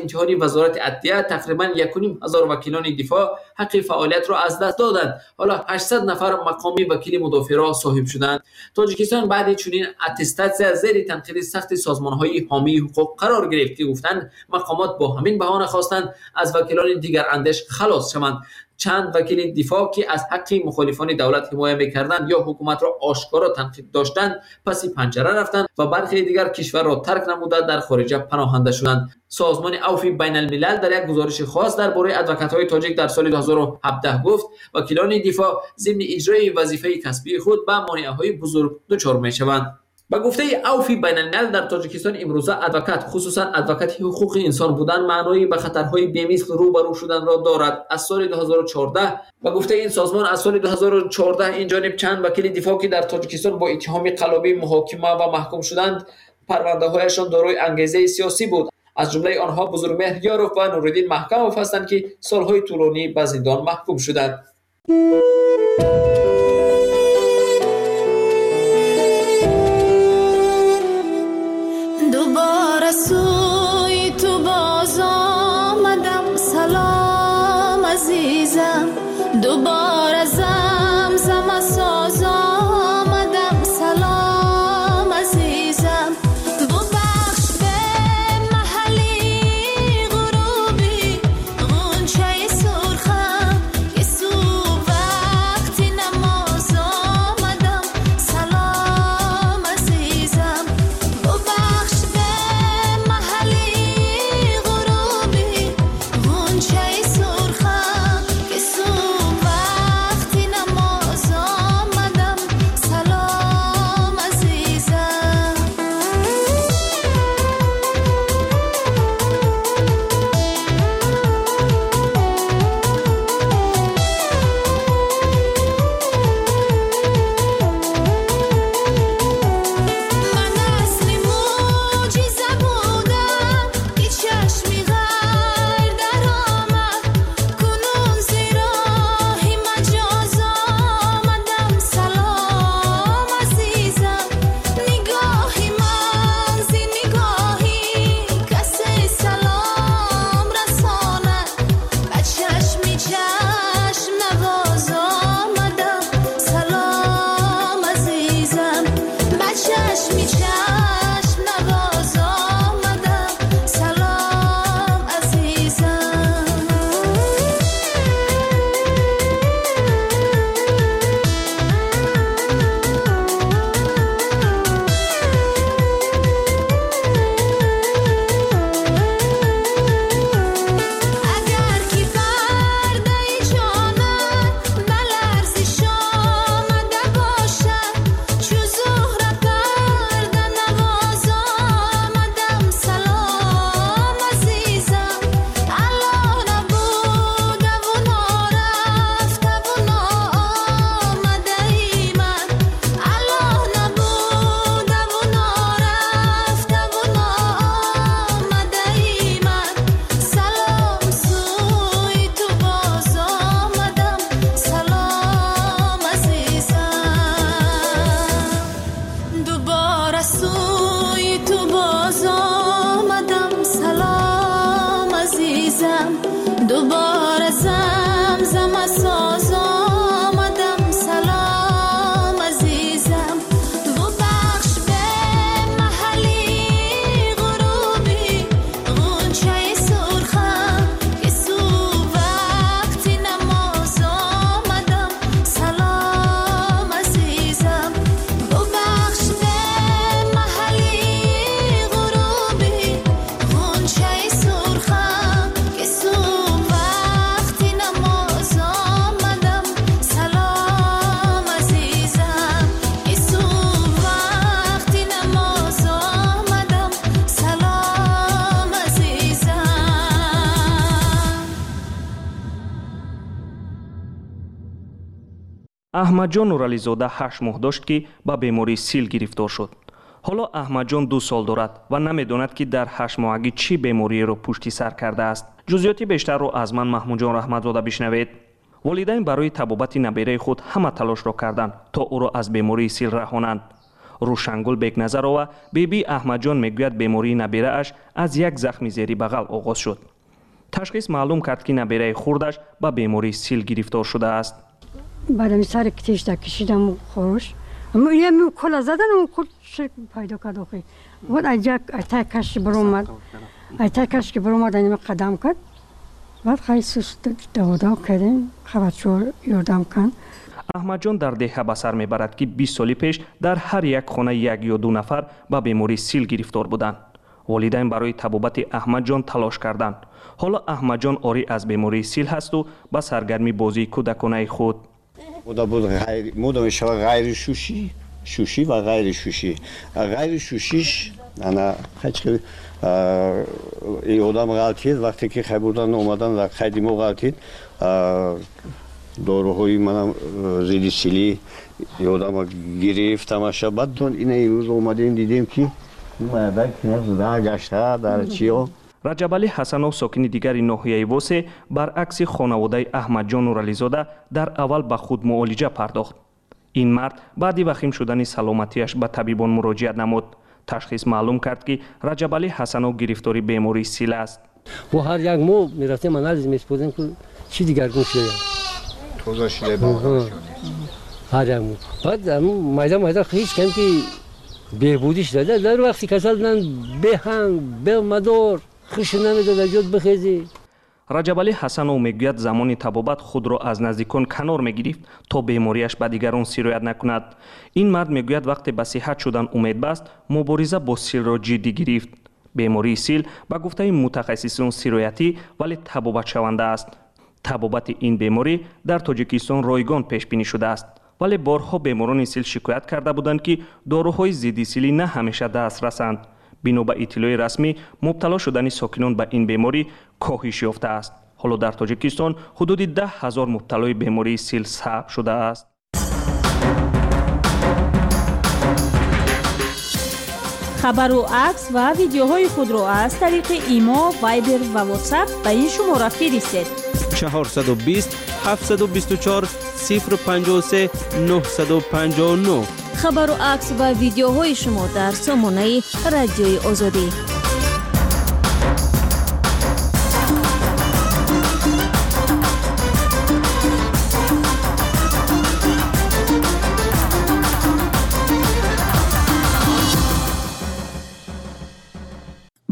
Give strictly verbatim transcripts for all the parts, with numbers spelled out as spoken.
имтиҳони вазорати адлия тақрибан як ва ним ҳазор вакилони дифоъ ҳаққи фаъолиятро аз даст доданд. Ҳоло ҳаштсад нафар мақоми вакили мудофеъро соҳиб шуданд. Тоҷикистон баъди чунин аттестатсия зери танқиди сахти созмонҳои ҳомии ҳуқуқ қарор гирифт, ки гуфтанд мақомот бо ҳамин баҳона хостанд аз вакилони дигарандеш халос шаванд. Чанд вакили дифоъ, ки аз ҳаққи мухолифони давлат ҳимоя мекарданд ё ҳукуматро ошкоро танқид доштанд, паси панҷара рафтанд ва бархе дигар кишварро тарк намуда дар хориҷа паноҳанда шуданд. Созмони Авфи Байналмилал дар як гузориши хос дар бораи адвокатҳои тоҷик дар соли ду ҳазору ҳабдаҳ гуфт, вакилони дифоъ зимни иҷрои вазифаи касбии худ ба монеаҳои бузург дучор мешаванд. Ба гуфтаи Авфи Байналмилал дар Тоҷикистон имрӯза адвокат, хусусан адвокати ҳуқуқи инсон будан, маънои ба хатарҳои бемисл рӯбарӯ шуданро дорад. Аз соли ду ҳазору чордаҳ ба гуфтаи ин созмон аз соли ду ҳазору чордаҳ ин ҷониб чанд вакили дифоъ, ки дар Тоҷикистон бо иттиҳоми қаллобӣ муҳокима ва маҳкум шуданд, парвандаҳояшон дорои ангезаи сиёсӣ буд. Аз ҷумлаи онҳо Бузургмеҳр Ёров ва Нуриддин Маҳкамов ҳастанд, ки солҳои тӯлонӣ ба зиндон маҳкум шуданд. دوباره سوی تو باز آمدم، سلام عزیزم، دوباره زمزمه ساز آمدم، سلام عزیزم، ببخش به محلی غروبی غنچه سرخم که صبح وقتی نماز آمدم، سلام عزیزم، ببخش به محلی غروبی غنچه سرخم که صبح وقتی نماز آمدم، سلام عزیزم. من اصل معجزه بودم که چشمی غیر در آمد، کنون ز راه مجاز آمدم، سلام عزیزم، نگاه من ز نگاهی کسی سلام رساند، به چشمی چشم نواز آمدم، سلام عزیزم، به چشمی چشم نواز آمدم، سلام عزیزم. اگر که پرده جانت به لرزش آمده باشد، چو زهره پرده نواز آمدم، سلام عزیزم، الله نبوده و نارفته و ناآمده ای من، الله نبوده و نارفته و ناآمده ای من، سلام سوی تو باز آمدم، سلام عزیزم، دوباره سوی تو باز آمدم، سلام عزیزم، دوباره زمزمه ساز آمدم، سلام عزیزم، ببخش به محلی غروبی غنچه سرخم که صبح وقتی نماز آمدم، سلام عزیزم، ببخش به محلی غروبی غنچه سرخم که صبح وقتی نماز آمدم، سلام عزیزم، که صبح وقتی نماز آمدم، سلام عزیزم. Аҳмадҷон Нурализода ҳашт моҳ дошт, ки ба бемории сил гирифтор шуд. Ҳоло Аҳмадҷон ду сол дорад ва намедонад, ки дар ҳаштмоҳагӣ чӣ бемориеро пушти сар кардааст. Ҷузъиёти бештарро аз ман Маҳмудҷон Раҳматзода бишнавед. Волидайн барои табобати набераи худ ҳама талошро карданд, то ӯро аз бемории сил раҳонанд. Рӯшангул Бекназарова бибии Аҳмадҷон мегӯяд, бемории наберааш аз як захми зери бағал оғоз шуд. Ташхис маълум кард, ки набераи хурдаш ба бемории сил гирифтор шудааст. Баъдами сари тешда кишидам хӯрош, кола задан худ пайдо кард. Охи баъд айтай каши баромад, айтай каши ки баромад, анима қадам кард. Баъд хай сус даводав кардем, хабачо ёрдам кан. Аҳмадҷон дар деҳа ба сар мебарад, ки бист соли пеш дар ҳар як хона як ё ду нафар ба бемории сил гирифтор буданд. Волидайн барои табобати Аҳмадҷон талош карданд. Ҳоло Аҳмадҷон орӣ аз бемории сил ҳасту ба саргарми бозии кӯдаконаи худ. Мода мешавад ғайри шушӣ, шушӣ ва ғайри шушӣ. Ғайри шушиш ана ҳеч одам ғалтид, вақте ки хай бурдан омадан дар қайди мо ғалтид, доруҳои манам зидди силӣ одама гирифт тамаша. Баъд ина имрӯз омадем, дидем ки мардак гашта дар чиё. Раҷабалӣ Ҳасанов, сокини дигари ноҳияи Восе, баръакси хонаводаи Аҳмадҷон Нурализода дар аввал ба худ муолиҷа пардохт. Ин мард баъди вахим шудани саломатиаш ба табибон муроҷиат намуд. Ташхис маълум кард, ки Раҷабалӣ Ҳасанов гирифтори бемории сил аст. Мо ҳар як моҳ мерафтем, анализ месупордем, ки чӣ дигаргун шуда. Тоза шуда. Ҳар як моҳ. Баъд майда майда ҳеҷ кам ки беҳбудӣ шуда. Дар вақти касал будан беҳанг, бемадор, хуш намедод аз ҷод бихезӣ. Раҷабалӣ Ҳасанов мегӯяд, замони табобат худро аз наздикон канор мегирифт, то бемориаш ба дигарон сироят накунад. Ин мард мегӯяд, вақте ба сиҳат шудан умед баст, мубориза бо силро ҷиддӣ гирифт. Бемории сил ба гуфтаи мутахассисон сироятӣ, вале табобатшаванда аст. Табобати ин беморӣ дар Тоҷикистон ройгон пешбинӣ шудааст, вале борҳо беморони сил шикоят карда буданд, ки доруҳои зидди силӣ на ҳамеша дастрасанд. Бино ба иттилои расмӣ, мубтало шудани сокинон ба ин беморӣ коҳиш ёфтааст. Ҳоло дар Тоҷикистон ҳудуди даҳ ҳазор мубталои бемории сил сабт шудааст. Хабару акс ва видеоҳои худро аз тариқи Имо, Вайбер ва Ватсап ба ин шумора фиристед: чорсаду бист, ҳафтсаду бисту чор, сифр панҷоҳу се, нӯҳсаду панҷоҳу нӯҳ. Хабару акс ва видеоҳои шумо дар сомонаи Радиои Озодӣ.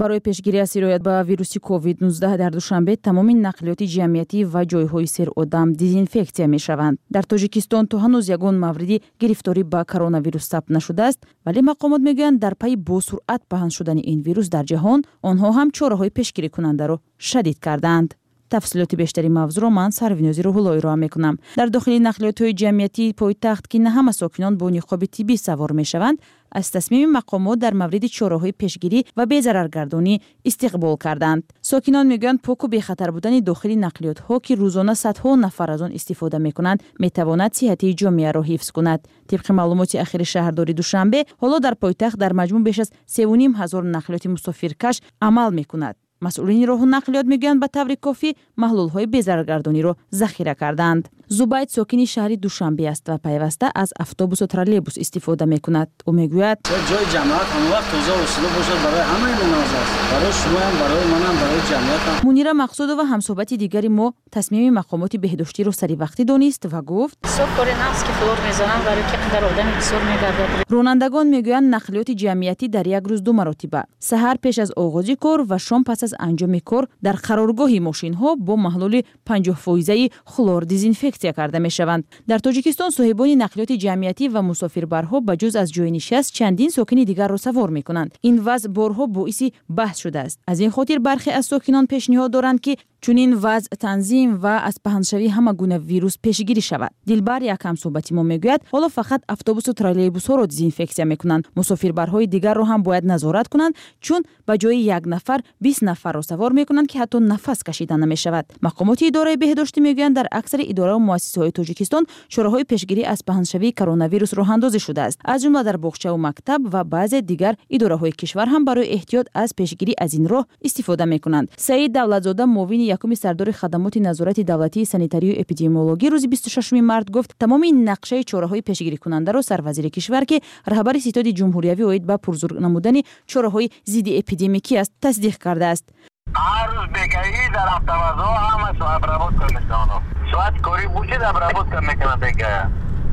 Барои пешгирӣ аз сироят ба вируси ковид нуздаҳ дар Душанбе тамоми нақлиёти ҷамъиятӣ ва ҷойҳои серодам дезинфексия мешаванд. Дар Тоҷикистон то ҳанӯз ягон мавриди гирифторӣ ба коронавирус сабт нашудааст, вале мақомот мегӯянд, дар пайи босуръат паҳн шудани ин вирус дар ҷаҳон онҳо ҳам чораҳои пешгирикунандаро шадид кардаанд. Тафсилоти бештари мавзӯъро ман Сарвинози Рӯҳулло ироа мекунам. Дар дохили нақлиётҳои ҷамъиятии пойтахт, ки на ҳама сокинон бо ниқоби тиббӣ савор мешаванд, аз тасмими мақомот дар мавриди чораҳои пешгирӣ ва безараргардонӣ истиқбол карданд. Сокинон мегӯянд, поку бехатар будани дохили нақлиётҳо, ки рӯзона садҳо нафар аз он истифода мекунанд, метавонад сиҳатии ҷомеаро ҳифз кунад. Тибқи маълумоти ахири шаҳрдори Душанбе, ҳоло дар пойтахт дар маҷмӯъ беш аз севу ним ҳазор нақлиёти мусофиркаш амал мекунад. Масъулини роҳу нақлиёт мегӯянд, ба таври кофӣ маҳлулҳои безараргардониро захира кардаанд. Зубайд сокини шаҳри Душанбе аст ва пайваста аз автобусу троллейбус истифода мекунад. Ӯ мегӯяд: ҷои ҷамоат ҳамавақт тоза ва силу бошад барои ҳамаи мо нағз аст, барои шумоям, барои манам, барои ҷамъиятам. Мунира Мақсудова, ҳамсӯҳбати дигари мо, тасмими мақомоти беҳдоштиро саривақтӣ донист ва гуфт: бисёр кори нағз, ки хлор мезананд, барои ки қадар одами бисёр мегардад. Ронандагон мегӯянд, нақлиёти ҷамъиятӣ дар як рӯз ду маротиба, саҳар пеш аз оғози кор ва шом пас аз анҷоми кор, дар қароргоҳи мошинҳо бо маҳлули панҷоҳ фоизаи хлор дезинфексия карда мешаванд. Дар Тоҷикистон соҳибони нақлиёти ҷамъиятӣ ва мусофирбарҳо ба ҷуз аз ҷои нишаст чандин сокини дигарро савор мекунанд. Ин вазъ борҳо боиси баҳс шудааст. Аз ин хотир бархе аз сокинон пешниҳод доранд, ки чунин вазъ танзим ва аз паҳншавии ҳама гуна вирус пешгирӣ шавад. Дилбар, як ҳамсӯҳбати мо, мегӯяд, ҳоло фақат автобусу троллейбусҳоро дезинфексия мекунанд. Мусофирбарҳои дигарро ҳам бояд назорат кунанд, чун ба ҷои як нафар бист нафарро савор мекунанд, ки ҳатто нафас кашида намешавад. Мақомоти идораи беҳдоштӣ мегӯянд, дар аксари идораву муассисаҳои Тоҷикистон чораҳои пешгирӣ аз паҳншавии коронавирус роҳандозӣ шудааст. Аз ҷумла дар боғчаву мактаб ва баъзе дигар идораҳои кишвар ҳам барои эҳтиёт аз пешгирӣ аз ин роҳ истифода мекунанд. Саид Давлатзода, муовини Муовини якуми сардори хадамоти назорати давлатии санитарию эпидемиологӣ рӯзи бисту шашуми март гуфт, тамоми нақшаи чораҳои пешгирикунандаро сарвазири кишвар, ки раҳбари ситоди ҷумҳуриявӣ оид ба пурзур намудани чораҳои зидди эпидемикӣ аст, тасдиқ кардааст. Ҳар рӯз бегаҳӣ дар автовазо ҳамаш обработка мешаванд. Соати корӣ бошид, обработка мекунанд, бегая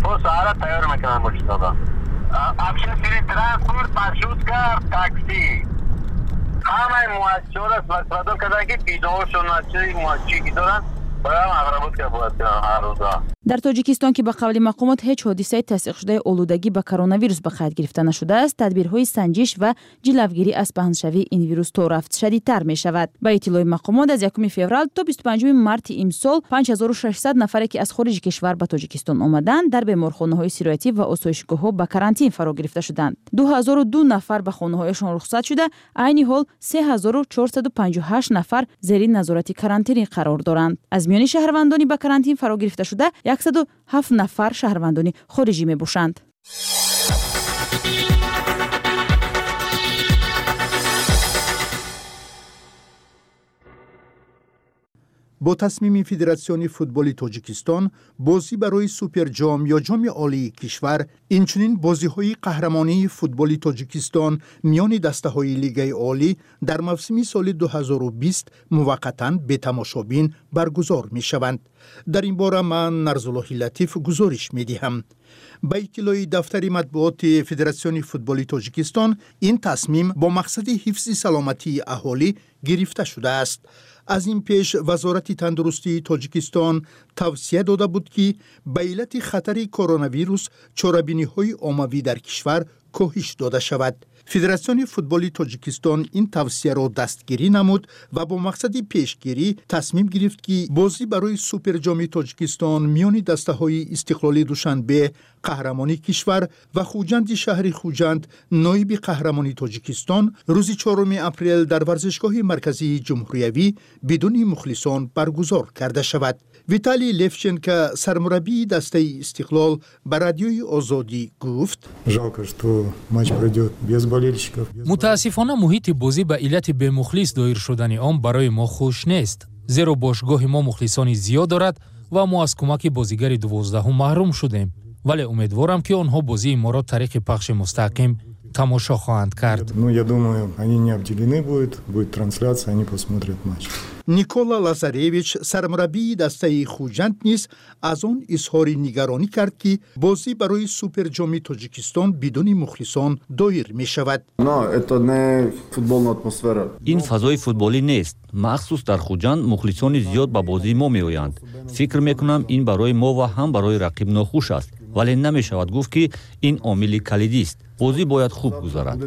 то саҳара тайёр мекунанд мошинода. Общественный транспорт, маршрутка, такси, ҳамаи муассисаҳоро вазифадор карданд, ки биноҳошон чи ки доранд, бояд обработка бояд кунанд ҳар рӯза. Дар Тоҷикистон, ки ба қавли мақомот ҳеҷ ҳодисаи тасдиқшудаи олудагӣ ба коронавирус ба қайд гирифта нашудааст, тадбирҳои санҷиш ва ҷилавгирӣ аз паҳншавии ин вирус то рафт шадидтар мешавад. Ба иттилои мақомот, аз якуми феврал то бисту панҷуми марти имсол панҷ ҳазору шашсад нафаре, ки аз хориҷи кишвар ба Тоҷикистон омаданд, дар беморхонаҳои сироятӣ ва осоишгоҳҳо ба карантин фаро гирифта шуданд. ду ҳазору ду нафар ба хонаҳояшон рухсат шуда, айни ҳол се ҳазору чорсаду панҷоҳу ҳашт нафар зери назорати карантинӣ қарор доранд. Аз миёни шаҳрвандони ба карантин фаро гирифташуда яксаду ҳафт нафар шаҳрвандони хориҷӣ мебошанд. Бо тасмими Федератсиони футболи Тоҷикистон бозӣ барои Суперҷом ё Ҷоми Олии кишвар, инчунин бозиҳои қаҳрамонии футболи Тоҷикистон миёни дастаҳои Лигаи Олӣ дар мавсими соли ду ҳазору бист муваққатан бетамошобин баргузор мешаванд. Дар ин бора ман, Нарзуллоҳи Латиф, гузориш медиҳам. Ба иттилои дафтари матбуоти Федератсиони футболи Тоҷикистон, ин тасмим бо мақсади ҳифзи саломатии аҳолӣ гирифта шудааст. Аз ин пеш Вазорати тандурустии Тоҷикистон тавсия дода буд, ки ба иллати хатари коронавирус чорабиниҳои оммавӣ дар кишвар коҳиш дода шавад. Федератсиони футболи Тоҷикистон ин тавсияро дастгирӣ намуд ва бо мақсади пешгирӣ тасмим гирифт, ки бозӣ барои Суперҷоми Тоҷикистон миёни дастаҳои Истиқлоли Душанбе, қаҳрамони кишвар, ва Хуҷанди шаҳри Хуҷанд, ноиби қаҳрамони Тоҷикистон, рӯзи чоруми апрел дар варзишгоҳи марказии ҷумҳуриявӣ бидуни мухлисон баргузор карда шавад. Виталий Левченко, сармураббии дастаи Истиқлол, ба Радиои Озодӣ гуфт: Жалко, что матч пройдет без болельщиков. Мутаассифона, муҳити бозӣ ба иллати бемухлис доир шудани он барои мо хуш нест, зеро бошгоҳи мо мухлисони зиёд дорад ва мо аз кӯмаки бозигари дувоздаҳум маҳрум шудем, вале умедворам, ки онҳо бозии моро тариқи пахши мустақим тамошо хоҳанд кард. Ну, я думаю, они не обделены будут, будет трансляция, они посмотрят матч. Никола Лазаревич, сармураббии дастаи Хуҷанд, низ аз он изҳори нигаронӣ кард, ки бозӣ барои Суперҷоми Тоҷикистон бидуни мухлисон доир мешавад. Ин фазои футболӣ нест. Махсус дар Хуҷанд мухлисони зиёд ба бозии мо меоянд. Фикр мекунам, ин барои мо ва ҳам барои рақиб нохуш аст, вале намешавад гуфт, ки ин омили калидист. Бозӣ бояд хуб гузарад.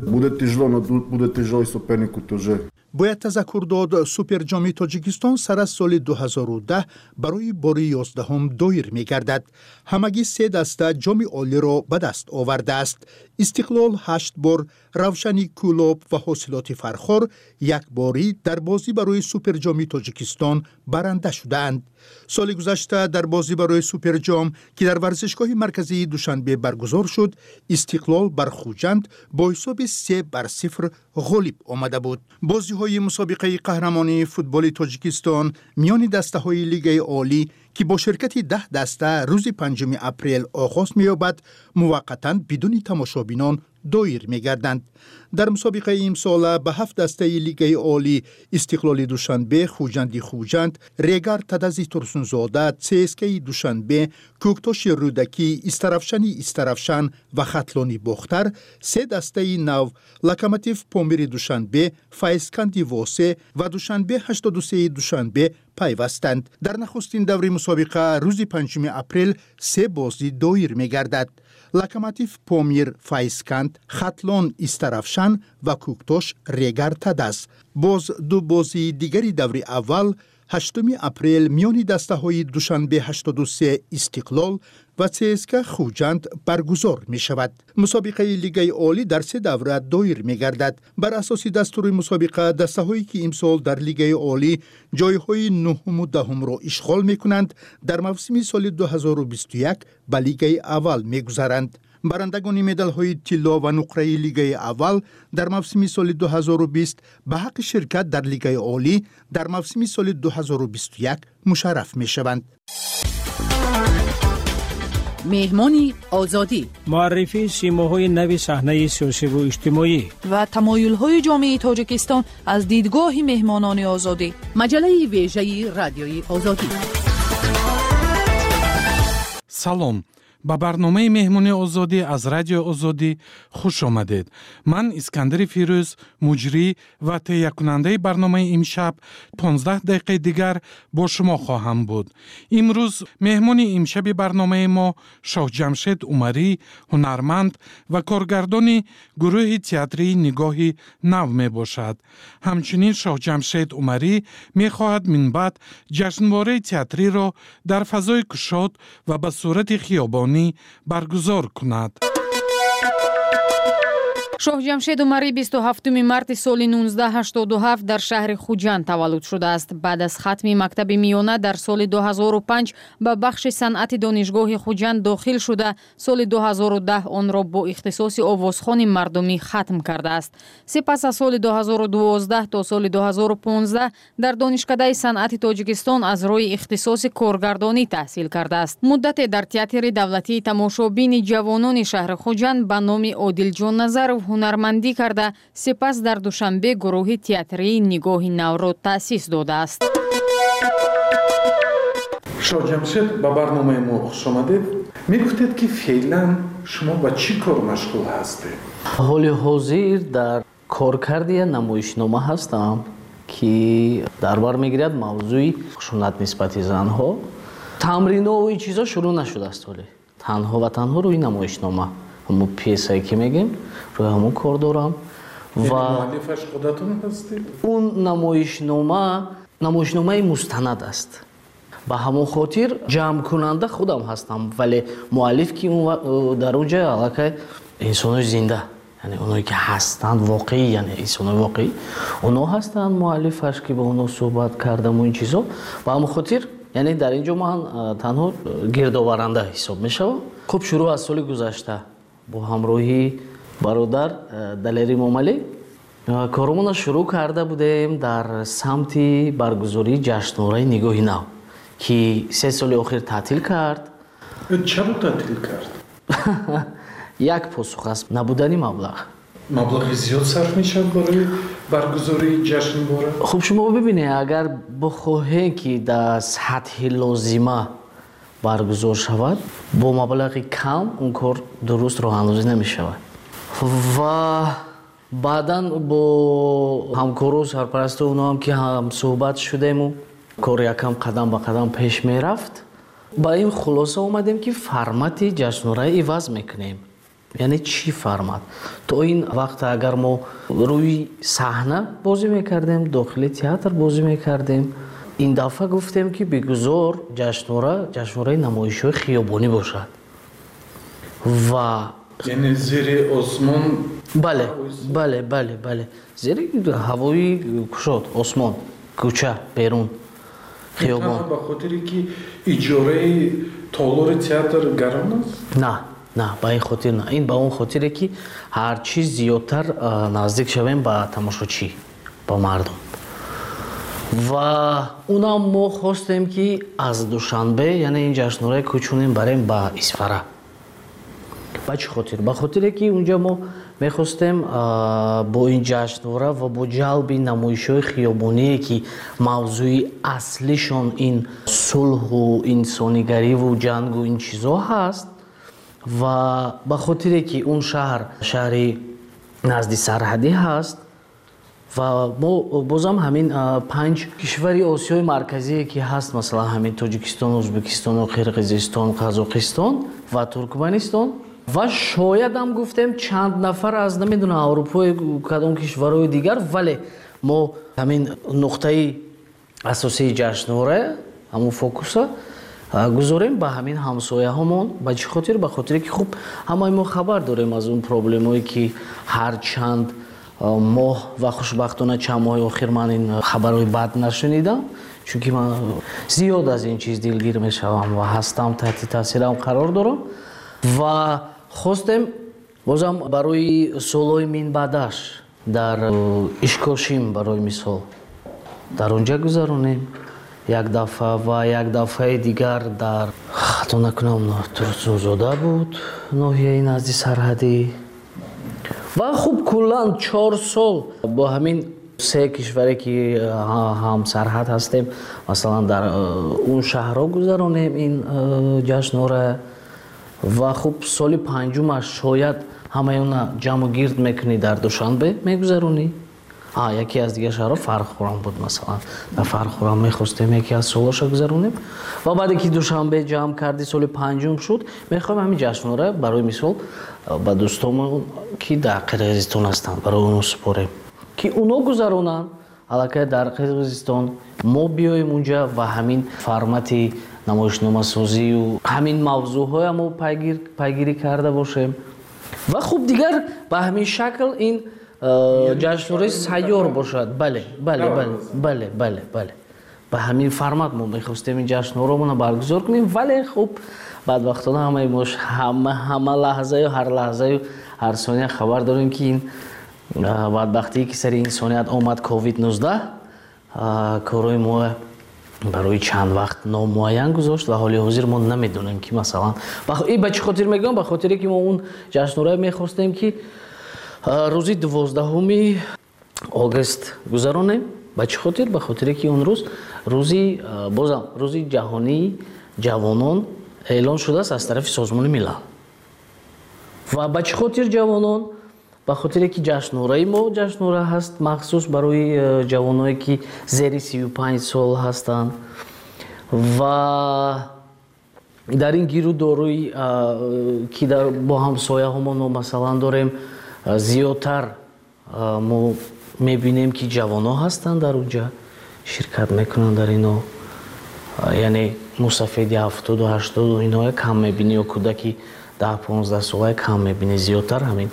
Бояд тазаккур дод, Суперҷоми Тоҷикистон сар аз соли ду ҳазору даҳ барои бори ёздаҳум доир мегардад. Ҳамагӣ се даста Ҷоми Олиро ба даст овардааст: Истиқлол ҳашт бор, Равшани Кӯлоб ва Ҳосилоти Фархор якборӣ дар бозӣ барои Суперҷоми Тоҷикистон баранда шудаанд. Соли гузашта дар бозӣ барои Суперҷом, ки дар варзишгоҳи марказии Душанбе баргузор шуд, Истиқлол бар Хуҷанд бо ҳисоби се бар сифр ғолиб омада буд. Бозиҳои мусобиқаи қаҳрамонии футболи Тоҷикистон миёни дастаҳои Лигаи Олӣ, ки бо ширкати даҳ даста рӯзи панҷуми апрел оғоз меёбад, муваққатан бидуни тамошобинон доир мегарданд. Дар мусобиқаи имсола ба ҳафт дастаи Лигаи Олӣ: Истиқлоли Душанбе, Хуҷанди Хуҷанд, Регар Тадази Турсунзода, ЦСКАи Душанбе, Кӯктоши Рӯдакӣ, Истаравшани Истаравшан ва Хатлони Бохтар, се дастаи нав: Локомотив Помири Душанбе, Файзканди Восе ва Душанбе ҳаштоду сеи Душанбе пайвастанд. Дар нахустин даври мусобиқа рӯзи панҷуми апрел се бозӣ доир мегардад: Локомотив Помир Файзканд, Хатлон Истаравшан ва Кӯктош Регар Тадаз. Боз ду бозии дигари даври аввал ҳаштуми апрел миёни дастаҳои Душанбе ҳаштоду се Истиқлол ва ЦСКА Хуҷанд баргузор мешавад. Мусобиқаи Лигаи Олӣ дар се давра доир мегардад. Бар асоси дастури мусобиқа, дастаҳое ки имсол дар Лигаи Олӣ ҷойҳои нуҳуму даҳумро ишғол мекунанд, дар мавсими соли ду ҳазору бисту як ба Лигаи аввал мегузаранд. Барандагони медалҳои тилло ва нуқраи лигаи аввал дар мавсими соли ду ҳазору бист ба ҳаққи ширкат дар лигаи олӣ дар мавсими соли ду ҳазору бисту як мушарраф мешаванд. Меҳмони Озодӣ. Муаррифии симоҳои нави саҳнаи сиёсиву иҷтимоӣ ва тамоюлҳои ҷомеаи Тоҷикистон аз дидгоҳи меҳмонони Озодӣ. Маҷаллаи вежаи Радиои Озодӣ. Салом, ба барномаи Меҳмони Озодӣ аз Радиои Озодӣ хуш омадед. Ман Искандари Фирӯз, муҷрӣ ва таҳиякунандаи барномаи имшаб, понздаҳ дақиқаи дигар бо шумо хоҳам буд. Имрӯз меҳмони имшаби барномаи мо Шоҳҷамшед Умарӣ, ҳунарманд ва коргардони гурӯҳи театрии Нигоҳи нав мебошад. Ҳамчунин Шоҳҷамшед Умарӣ мехоҳад минбаъд ҷашнвораи театриро дар фазои кушод ва ба сурати хиёбонӣ баргузор кунад. Шоҳҷамшед Умарӣ бисту ҳафтуми марти соли нуздаҳ ҳаштоду ҳафт дар шаҳри Хуҷанд таваллуд шудааст. Баъд аз хатми мактаби миёна дар соли ду ҳазору панҷ ба бахши санъати Донишгоҳи Хуҷанд дохил шуда, соли ду ҳазору даҳ онро бо ихтисоси овозхони мардумӣ хатм кардааст. Сипас аз соли ду ҳазору дувоздаҳ то соли ду ҳазору понздаҳ дар Донишкадаи санъати Тоҷикистон аз рӯи ихтисоси коргардонӣ таҳсил кардааст. Муддате дар театри давлатии тамошобини ҷавонони шаҳри Хуҷанд ба номи Одилҷон Назаров ҳунармандӣ карда, сипас дар Душанбе гурӯҳи театрии Нигоҳи навро таъсис додааст. Шоҳҷамшед, ба барномаи мо хуш омадед. Мегуфтед, ки феълан шумо ба чӣ кор машғул ҳастед? Ҳоли ҳозир дар коркарди як намоишнома ҳастам, ки дар бар мегирад мавзӯи хушунат нисбати занҳо. Тамринҳо ин чизо шурӯъ нашудааст ҳоле. Танҳо ва танҳо рӯи намоишнома, ҳамон пьесае ки мегем, рӯи ҳамон кор дорам. Ва муаллифаш худатон ҳастед? Он намоишнома намоишномаи мустанад аст. Ба ҳамон хотир ҷамъкунанда худам ҳастам, вале муаллиф ки дар он ҷо аллакай инсонои зинда, яъне оное ки ҳастанд воқеӣ, яъне инсонои воқеӣ, оно ҳастанд муаллифаш, ки ба оно суҳбат кардаму ин чизо. Ба ҳамон хотир яъне дар ин ҷо ман танҳо гирдоваранда ҳисоб мешавам. Хуб, шурӯъ аз соли гузашта бо ҳамроҳии бародар Далери Момалӣ коромонро шурӯъ карда будем дар самти баргузории ҷашнвораи Нигоҳи нав, ки се соли охир таътил кард. Чаро таътил кард? Як посух аст: набудани маблағ. Маблағи зиёд сарф мешавад барои баргузории ҷашнвора? Хуб, шумо бибинед, агар бихоҳем, ки дар сатҳи лозима баргузор шавад, бо маблағи кам он кор дуруст роҳандозӣ намешавад. Ва баъдан бо ҳамкору сарпарасту оноам ки ҳамсӯҳбат шудему кор якам қадам ба қадам пеш мерафт, ба ин хулоса омадем, ки формати ҷашнвора иваз мекунем. Яъне чӣ формат? То ин вақт агар мо рӯи саҳна бозӣ мекардем, дохили театр бозӣ мекардем, ин дафъа гуфтем, ки бигузор ҷашнвора ҷашнвораи намоишҳои хиёбонӣ бошад. Ва яъне зери осмон? Бале, бале, бале, бале, зери ҳавои кушод, осмон, кӯча, берун, хиёбон. Ба хотире ки иҷораи толори театр гарон аст? На, на, ба ин хотир на. Ин ба он хотире, ки ҳар чиз зиёдтар наздик шавем ба тамошочӣ, ба мардум. Ва унам мо хостем, ки аз Душанбе, яъне ин ҷашнвораи кӯчонем барем ба Исфара. Ба чӣ хотир? Ба хотире, ки унҷа мо мехостем бо ин ҷашнвора ва бо ҷалби намоишҳои хиёбоние, ки мавзӯи аслишон ин сулҳу инсонигариву ҷангу ин чизо ҳаст, ва ба хотире, ки он шаҳр шаҳри назди сарҳадӣ ҳаст, ва мо бозам ҳамин панҷ кишвари Осиёи Марказие ки ҳаст, масалан ҳамин Тоҷикистон, Ӯзбекистону Қирғизистон, Қазоқистон ва Туркманистон, ва шоядам гуфтем чанд нафар аз намедонам Аврупои кадом кишварҳои дигар, вале мо ҳамин нуқтаи асосии ҷашнвора, ҳамон фокуса гузорем ба ҳамин ҳамсояҳомон. Ба чӣ хотир? Ба хотире, ки хуб ҳамаи мо хабар дорем аз он проблемое, ки ҳар чанд моҳ ва хушбахтона чанд моҳи охир ман ин хабарҳои бад нашунидам, чунки ман зиёд аз ин чиз дилгир мешавам ва ҳастам, таҳти таъсирам қарор дорам. Ва Хостем бозам барои солҳои минбаъдаш дар Ишкошим, барои мисол, дар онҷа гузаронем як дафъа ва як дафъаи дигар дар, хато накунам, Турсунзода буд, ноҳияи назди сарҳадӣ. Ва хуб, куллан чор сол бо ҳамин се кишваре ки ҳамсарҳад ҳастем, масалан, дар он шаҳрҳо гузаронем ин ҷашнора. Ва хуб, соли панҷумаш шояд ҳамаи она ҷамъу гирд мекунӣ, дар Душанбе мегузаронӣ. Яке аз дигар шаҳрҳо Фархӯрам буд, масалан, дар Фархӯрам мехостем яке аз солҳоша гузаронем. Ва баъде ки Душанбе ҷамъ кардӣ, соли панҷум шуд, мехоҳем ҳамин ҷашнора барои мисол ба дӯстомон, ки дар Қирғизистон ҳастанд, барои онҳо супорем, ки онҳо гузаронанд аллакай дар Қирғизистон, мо биёем унҷа ва ҳамин формати намоишномасозию ҳамин мавзӯъҳоя мо пайгирӣ карда бошем. Ва хуб, дигар ба ҳамин шакл ин ҷашнвораи сайёр бошад. Бале, бале, бале, бале, бале, бале, ба ҳамин формат мо мехостем ин ҷашнворамона баргузор кунем. Вале хуб, бадбахтона ҳамаи мо ҳама ҳама лаҳзаю ҳар лаҳзаю ҳар сония хабар дорем, ки ин бадбахтие ки сари инсоният омад, ковид нуздаҳ, корҳои мо барои чанд вақт номуайян гузошт ва ҳоли ҳозир мо намедонем, ки масалан ин ба чӣ хотир мегӯям, ба хотире ки мо он ҷашнворае мехостем, ки рӯзи дувоздаҳуми огост гузаронем. Ба чӣ хотир? Ба хотире ки он рӯз рӯзи бозам рӯзи ҷаҳонии ҷавонон эълон шудааст аз тарафи Созмони Милал. Ва ба чӣ хотир ҷавонон? Ба хотире ки ҷашнвораи мо ҷашнвора ҳаст махсус барои ҷавоное, ки зери сию панҷ сол ҳастанд. Ва дар ин гиру дорои, ки бо ҳамсояҳомон мо масалан дорем, зиёдтар мо мебинем, ки ҷавонҳо ҳастанд, дар онҷа ширкат мекунанд дар ино. Яъне мусафеди ҳафтоду ҳаштоду иноя кам мебинӣ ё кӯдаки даҳ понздаҳ солая кам мебинӣ, зиёдтар ҳамин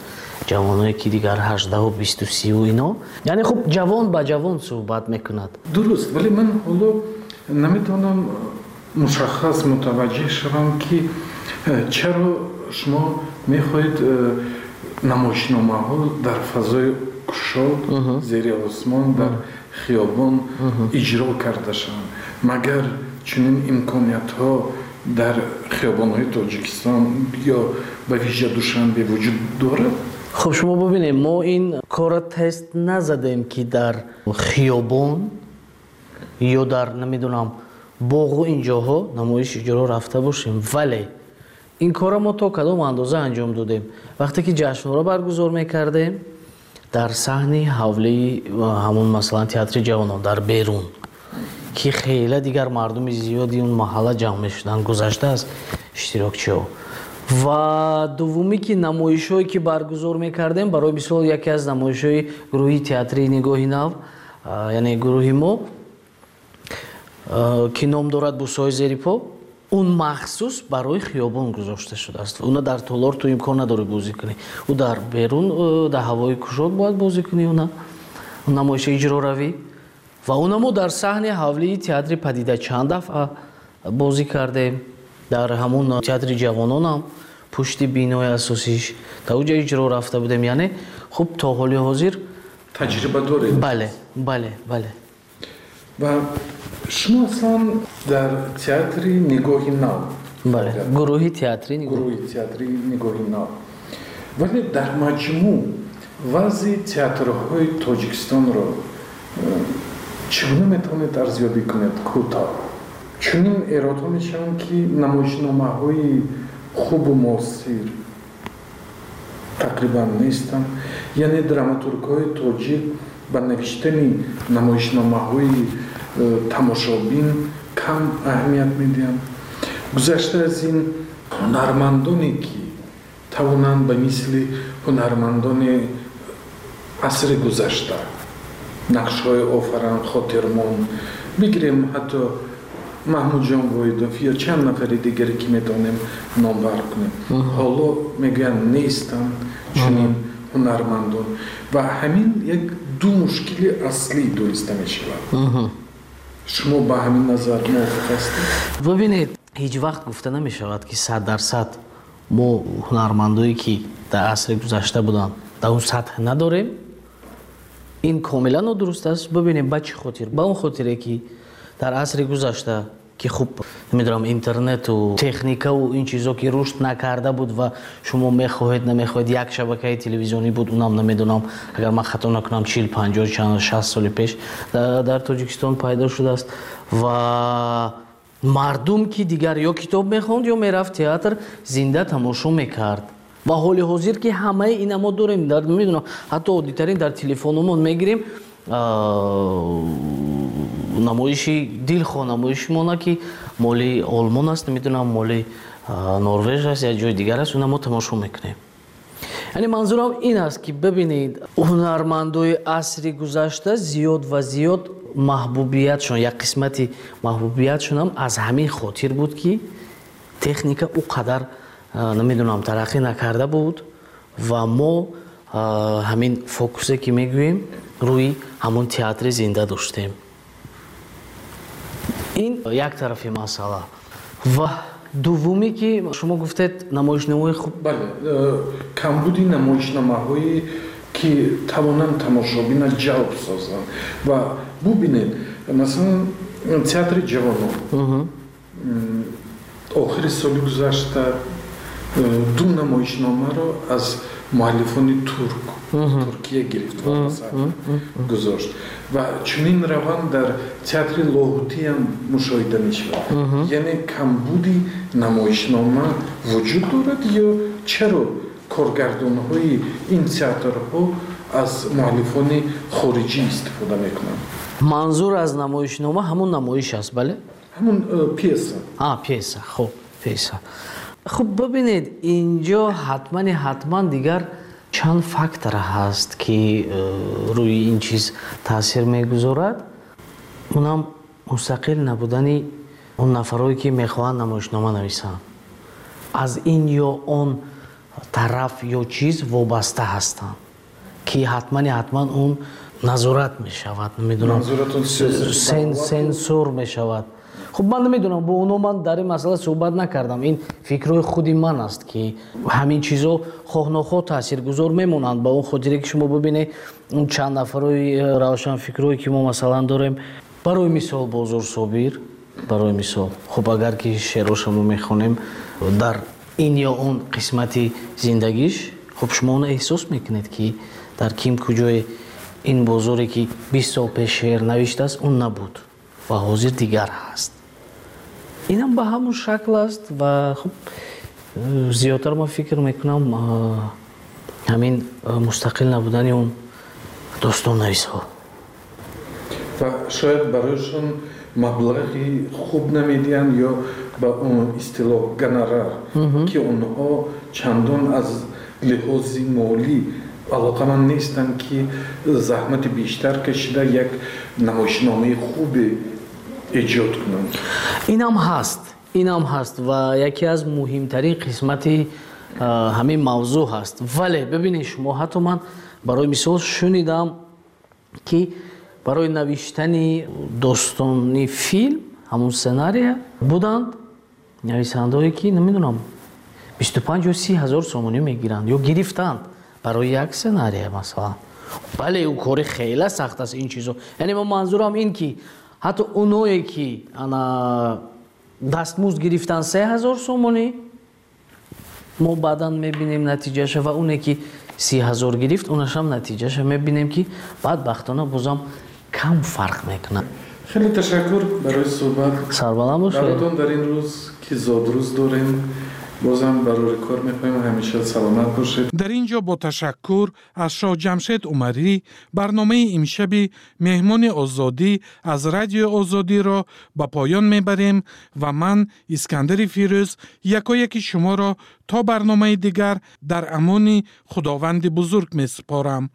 ҷавоное, ки дигар ҳаждаҳу бисту сию ино. Яъне хуб, ҷавон ба ҷавон суҳбат мекунад. Дуруст, вале ман ҳоло наметавонам мушаххас мутаваҷҷеҳ шавам, ки чаро шумо мехоҳед намоишномаҳо дар фазои кушод, зери осмон, дар хиёбон иҷро карда шаванд. Магар чунин имкониятҳо дар хиёбонҳои Тоҷикистон ё ба вижа Душанбе вуҷуд дорад? Хуб, шумо бубинед, мо ин корро тест назадем, ки дар хиёбон ё дар, намедонам, боғу ин ҷоҳо намоиш иҷро рафта бошем, вале ин корро мо то кадом андоза анҷом додем? Вақте ки ҷашнвора баргузор мекардем дар саҳни ҳавлии ҳамон, масалан, театри ҷавонон дар берун, ки хеле дигар мардуми зиёди он маҳалла ҷамъ мешуданд, гузашта аз иштирокчиҳо. Ва дуввумӣ, ки намоишҳое ки баргузор мекардем, барои мисол, яке аз намоишҳои гурӯҳи театрии Нигоҳи нав, яъне гурӯҳи мо, ки ном дорад «Бусҳои зери по», он махсус барои хиёбон гузошта шудааст. Уна дар толор ту имкон надорӣ бозӣ кунӣ, ӯ дар берун, дар ҳавои кушод бояд бозӣ кунӣ, уна намоиши иҷро равӣ. Ва уна мо дар саҳни ҳавлии театри Падида чанд дафъа бозӣ кардем, дар ҳамон театри ҷавононам пушти бинои асосиш дар оҷа иҷро рафта будем. Яъне хуб, то ҳоли ҳозир таҷриба доред? Бале, бале, бале. Ва шумо аслан дар театри Нигоҳи нав? Бале, гурӯҳи театри гурӯҳи театри Нигоҳи нав. Вале дар маҷмӯъ вазъи театрҳои Тоҷикистонро чӣ гуна метавонед арзёбӣ кунед кӯтоҳ? Чунин эродҳо мешаванд, ки намоишномаҳои хубу муосир тақрибан нестанд, яъне драматургҳои тоҷик ба навиштани намоишномаҳои э, тамошобин кам аҳамият медиҳанд. Гузашта аз ин, ҳунармандоне, ки тавонанд ба мисли ҳунармандони асри гузашта нақшҳои офаранд, хотирмон, бигирем ҳатто Маҳмудҷон Воҳидов ё чанд нафари дигаре, ки метавонем номбар кунем, ҳоло мегӯянд нестанд чунин ҳунармандон. Ва ҳамин як ду мушкили аслӣ дониста мешавад. Шумо ба ҳамин назар мувофиқ ҳастед? Бубинед, ҳеҷ вақт гуфта намешавад, ки сад дарсад Мо ҳунармандое ки дар асри гузашта буданд, дар он сатҳ надорем. Ин комилан нодуруст аст. Бибинем ба чӣ хотир. Ба он хотире ки дар асри гузашта ки хуб намедонам интернету техникаву ин чизо ки рушд накарда буд ва шумо мехоҳед намехоҳед як шабакаи телевизионӣ буд, унам намедонам, агар ман хато накунам, чил панҷоҳ чанд шаст соли пеш дар Тоҷикистон пайдо шудааст ва мардум ки дигар ё китоб мехонд ё мерафт театр зинда тамошо мекард. Ва ҳоли ҳозир ки ҳамаи ина мо дорем, дар намедонам, ҳатто оддитарин дар телефономон мегирем намоиши дилхоҳ намоиши мона ки моли Олмон аст, намедонам моли Норвеж аст я ҷои дигар аст, уна мо тамошо мекунем. Яъне манзурам ин аст ки бибинед, ҳунармандои асри гузашта зиёд ва зиёд маҳбубиятшон, як қисмати маҳбубиятшонам аз ҳамин хотир буд ки техника ӯ қадар намедонам тараққӣ накарда буд ва мо ҳамин фокусе ки мегӯем рӯи ҳамон театри зинда доштем. Ин як тарафи масъала. Ва дуввуме ки шумо гуфтед намоишномаҳои хуб. Бале, камбуди намоишномаҳое ки тавонанд тамошобина ҷалб созанд. Ва бубинед, масалан, театри ҷавонон охири соли гузашта ду намоишномаро аз муаллифони турк Туркия гирифт ва ба саҳна гузошт. Ва чунин раванд дар театри Лоҳутиам мушоҳида мешавад. Яъне камбуди намоишнома вуҷуд дорад ё чаро коргардонҳои ин театрҳо аз муаллифони хориҷӣ истифода мекунанд? Манзур аз намоишнома ҳамун намоиш аст, бале? Ҳамун пьеса. А, пьеса, хуб, пьеса. Хуб, бибинед, инҷо ҳатмани ҳатман дигар чанд фактор ҳаст ки рӯи ин чиз таъсир мегузорад. Унам мустақил набудани он нафарое ки мехоҳанд намоишнома нависанд. Аз ин ё он тараф ё чиз вобаста ҳастанд ки ҳатмани ҳатман он назорат мешавад, намедонам, сенсор мешавад. Хуб, ман намедонам, бо оно ман дар ин масъала суҳбат накардам. Ин фикрҳои худи ман аст ки ҳамин чизо хоҳ нохоҳ таъсиргузор мемонанд. Ба он хотире ки шумо бибинед он чанд нафарои равшанфикрое ки мо масалан дорем, барои мисол Бозор Собир, барои мисол, хуб, агар ки шеъроша мо мехонем дар ин ё он қисмати зиндагиш, хуб, шумо она эҳсос мекунед ки дар ким куҷое ин бозоре ки бист сол пеш шеър навиштааст, он набуд ва ҳозир дигар ҳаст. Инам ба ҳамон шакл аст ва хуб, зиёдтар ман фикр мекунам ҳамин мустақил набудани он достоннависҳо. Ва шояд барояшон маблағи хуб намедиҳанд ё ба он истилоҳ гонорар, ки онҳо чандон аз лиҳози молӣ алоқаманд нестанд ки заҳмати бештар кашида як намоишномаи хубе эҷод кунанд. Инам ҳаст, инам ҳаст ва яке аз муҳимтарин қисмати ҳамин мавзӯъ ҳаст. Вале бибинед шумо, ҳатто ман барои мисол шунидам ки барои навиштани достони филм ҳамун сценария буданд нависандаое ки намедонам бисту панҷ ё си ҳазор сомонӣ мегиранд ё гирифтанд барои як сценария масалан. Бале, ӯ кори хеле сахт аст ин чизо. Яъне ман манзурам ин ки ҳатто оное ки ана дастмузд гирифтан се ҳазор сомонӣ, мо баъдан мебинем натиҷаша, ва оне ки си ҳазор гирифт, онашам натиҷаша мебинем ки бадбахтона бозам кам фарқ мекунад. Хеле ташаккур барои суҳбат. Сарбаланд бошед. Баротон дар ин рӯз ки зодрӯз дорем, бозам барори кор мехоҳем, ҳамеша саломат бошед. Дар ин ҷо бо ташаккур аз Шоҳ Ҷамшед Умарӣ барномаи имшаби меҳмони озодӣ аз Радиои Озодиро ба поён мебарем ва ман, Искандари Фирӯз, якояки шуморо то барномаи дигар дар амони Худованди бузург месупорам.